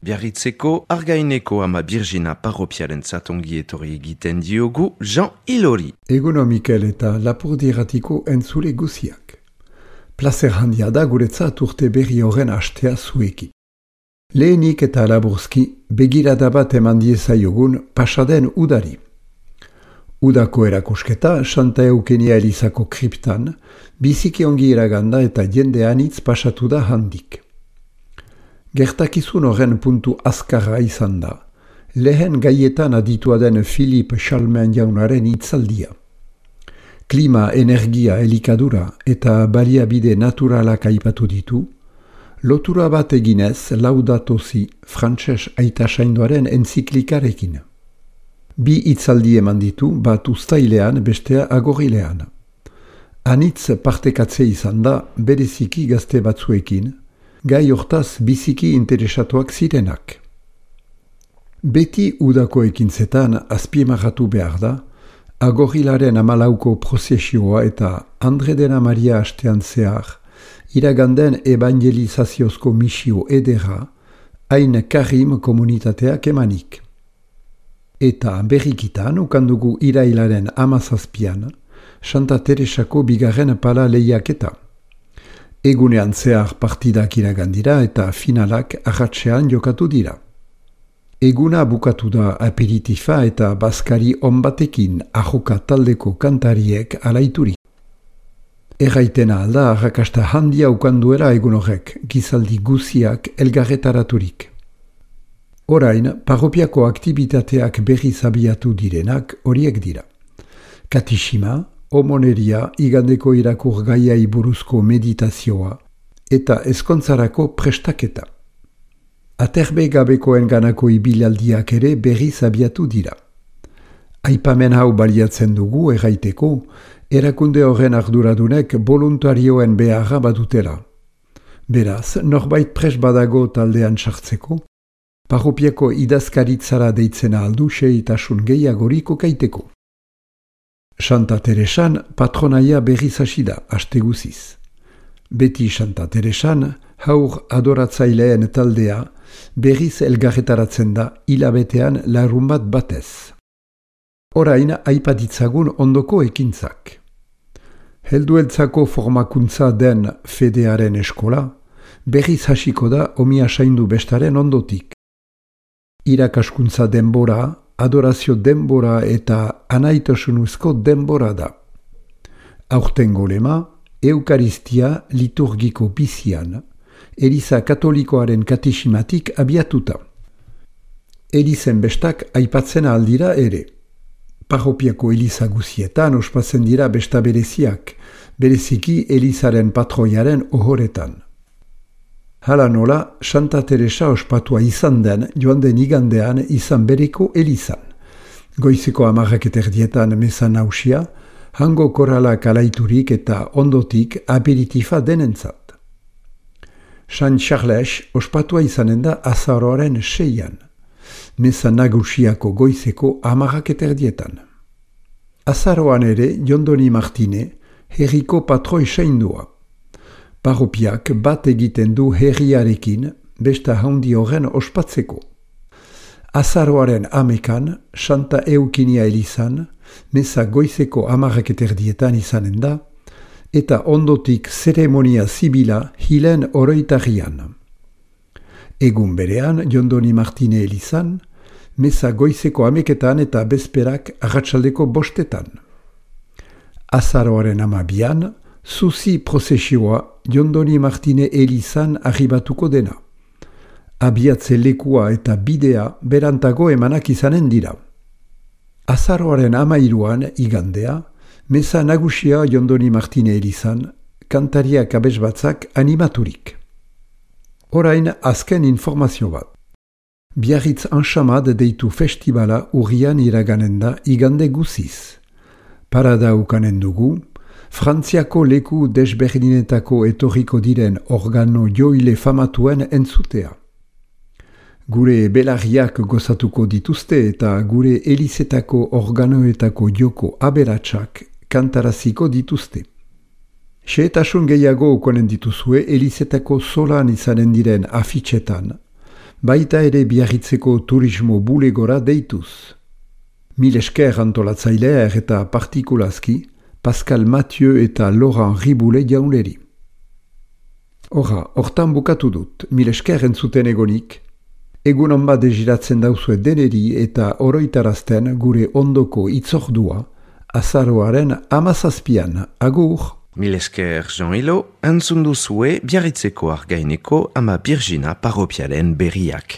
Biarritzeko Argaineko ama Birgina parropiaren zatongi etorri egiten diogu Jean Ilori. Eguno Mikel eta Lapurdi-Irratiko entzule guziak. Plazer handia da guretzat urte berri horren hastea zuekin. Lehenik eta laburzki begirada bat eman diezaiogun pasaden udari. Udako erakusketa Santa Eukenia Elizako kriptan biziki ongi iraganda eta jende anitz pasatu da handik. Gertakizun horren puntu azkarra izan da, lehen gaietan aditua den Philippe Chalmin jaunaren hitzaldia. Klima, energia, elikadura eta baliabide naturalak aipatu ditu, lotura bat eginez Laudato Si frantses aita saindoaren entziklikarekin. Bi hitzaldi eman ditu, bat uztailean, bestea agorrilean. Anitz partekatze izan da bereziki gazte batzuekin, gai hortaz biziki interesatuak zirenak. Beti udako ekintzetan azpimarratu behar da, agorrilaren 14ko prozesioa eta Andre dena Maria hastean zehar, iraganden evangelizaziozko misio edera, hain Karim komunitateak emanik. Eta berrikitan ukandugu irailaren 17an, Santa Teresako bigarren pala lehiaketa. Egunean zehar partidak iragandira eta finalak arratsean jokatu dira. Eguna bukatu da aperitifa eta bazkari onbatekin ahoka taldeko kantariek alaituri. Erraitena alda arrakasta handia ukanduela egun horrek, gizaldi guziak elgarretaraturik. Orain, parropiako aktibitateak berriz abiatu direnak horiek dira. Katishima, homoneria, igandeko irakur gaiai buruzko meditazioa eta ezkontzarako prestaketa. Aterbe gabekoen ganako ibilaldiak ere berriz abiatu dira. Aipamen hau baliatzen dugu erraiteko, erakunde horren arduradunek voluntarioen beharra badutela. Beraz, norbait pres badago taldean sartzeko, parropiako idazkaritzara deitzena aldu seitasun gehiagoriko kaiteko. Santa Teresan patronaia berriz hasi da, aste guziz. Beti Santa Teresan, haur adoratzaileen taldea, berriz elgarretaratzen da hilabetean larunbat batez. Orain aipatitzagun ondoko ekintzak. Heldueltzako formakuntza den fedearen eskola, berriz hasiko da omia saindu bestaren ondotik. Irakaskuntza denbora, adorazio denbora eta anaitasunuzko denbora da. Aurtengo lema, Eukaristia liturgiko bizian, Eliza Katolikoaren katesimatik abiatuta. Elizen bestak aipatzen aldira ere. Parropiako Eliza guzietan ospatzen dira besta bereziak, bereziki Elizaren patroiaren ohoretan. Hala nola, Santa Teresa ospatua izan den joan den igandean izan bereko Elizan. Goizeko 10:00 meza nausia, hango koralak alaiturik eta ondotik aperitifa denentzat. San Charles ospatua izanen da azaroaren 6an, meza nagusiako goizeko 10:00. Azaroan ere Jondoni Martine, herriko patroi saindua. Parropiak bat egiten du herriarekin, besta handi horren ospatzeko. Azaroaren 11an, Santa Eukenia Elizan, meza goizeko 10:00 izanen da, eta ondotik zeremonia zibila hilen oroitarian. Egun berean, Jondoni Martine Elizan, meza goizeko 11etan eta bezperak arratsaldeko 5etan. Azaroaren 12an, Zuzi prozesioa Jondoni Martine Elizan arribatuko dena. Abiatze lekua eta bidea berantago emanak izanen dira. Azaroaren 13an igandea, meza nagusia Jondoni Martine Elizan, kantariak abesbatzak animaturik. Orain azken informazio bat. Biarritz Anxamad deitu festivala urrian iraganen da igande guziz. Parada ukanen dugu, Frantziako leku desberdinetako etorriko diren organo joile famatuen entzutea. Gure belarriak gozatuko dituzte eta gure elizetako organoetako joko aberatsak kantaraziko dituzte. Xehetasun gehiago ukonen dituzue elizetako solan izanen diren afitxetan, baita ere Biarritzeko turismo bulegora deituz. Mil esker antolatzailea eta partikulazki Pascal Mathieu eta Laurent Riboule jauneri. Hortan bukatu dut, mil esker entzuten egonik, egun on bat degiratzen dauzue deneri eta oroitarazten gure ondoko itzordua, azaroaren 17an, agur! Mil esker Jean-Hilo, entzun duzue Biarritzeko Argaineko Ama Birjina parropialen berriak.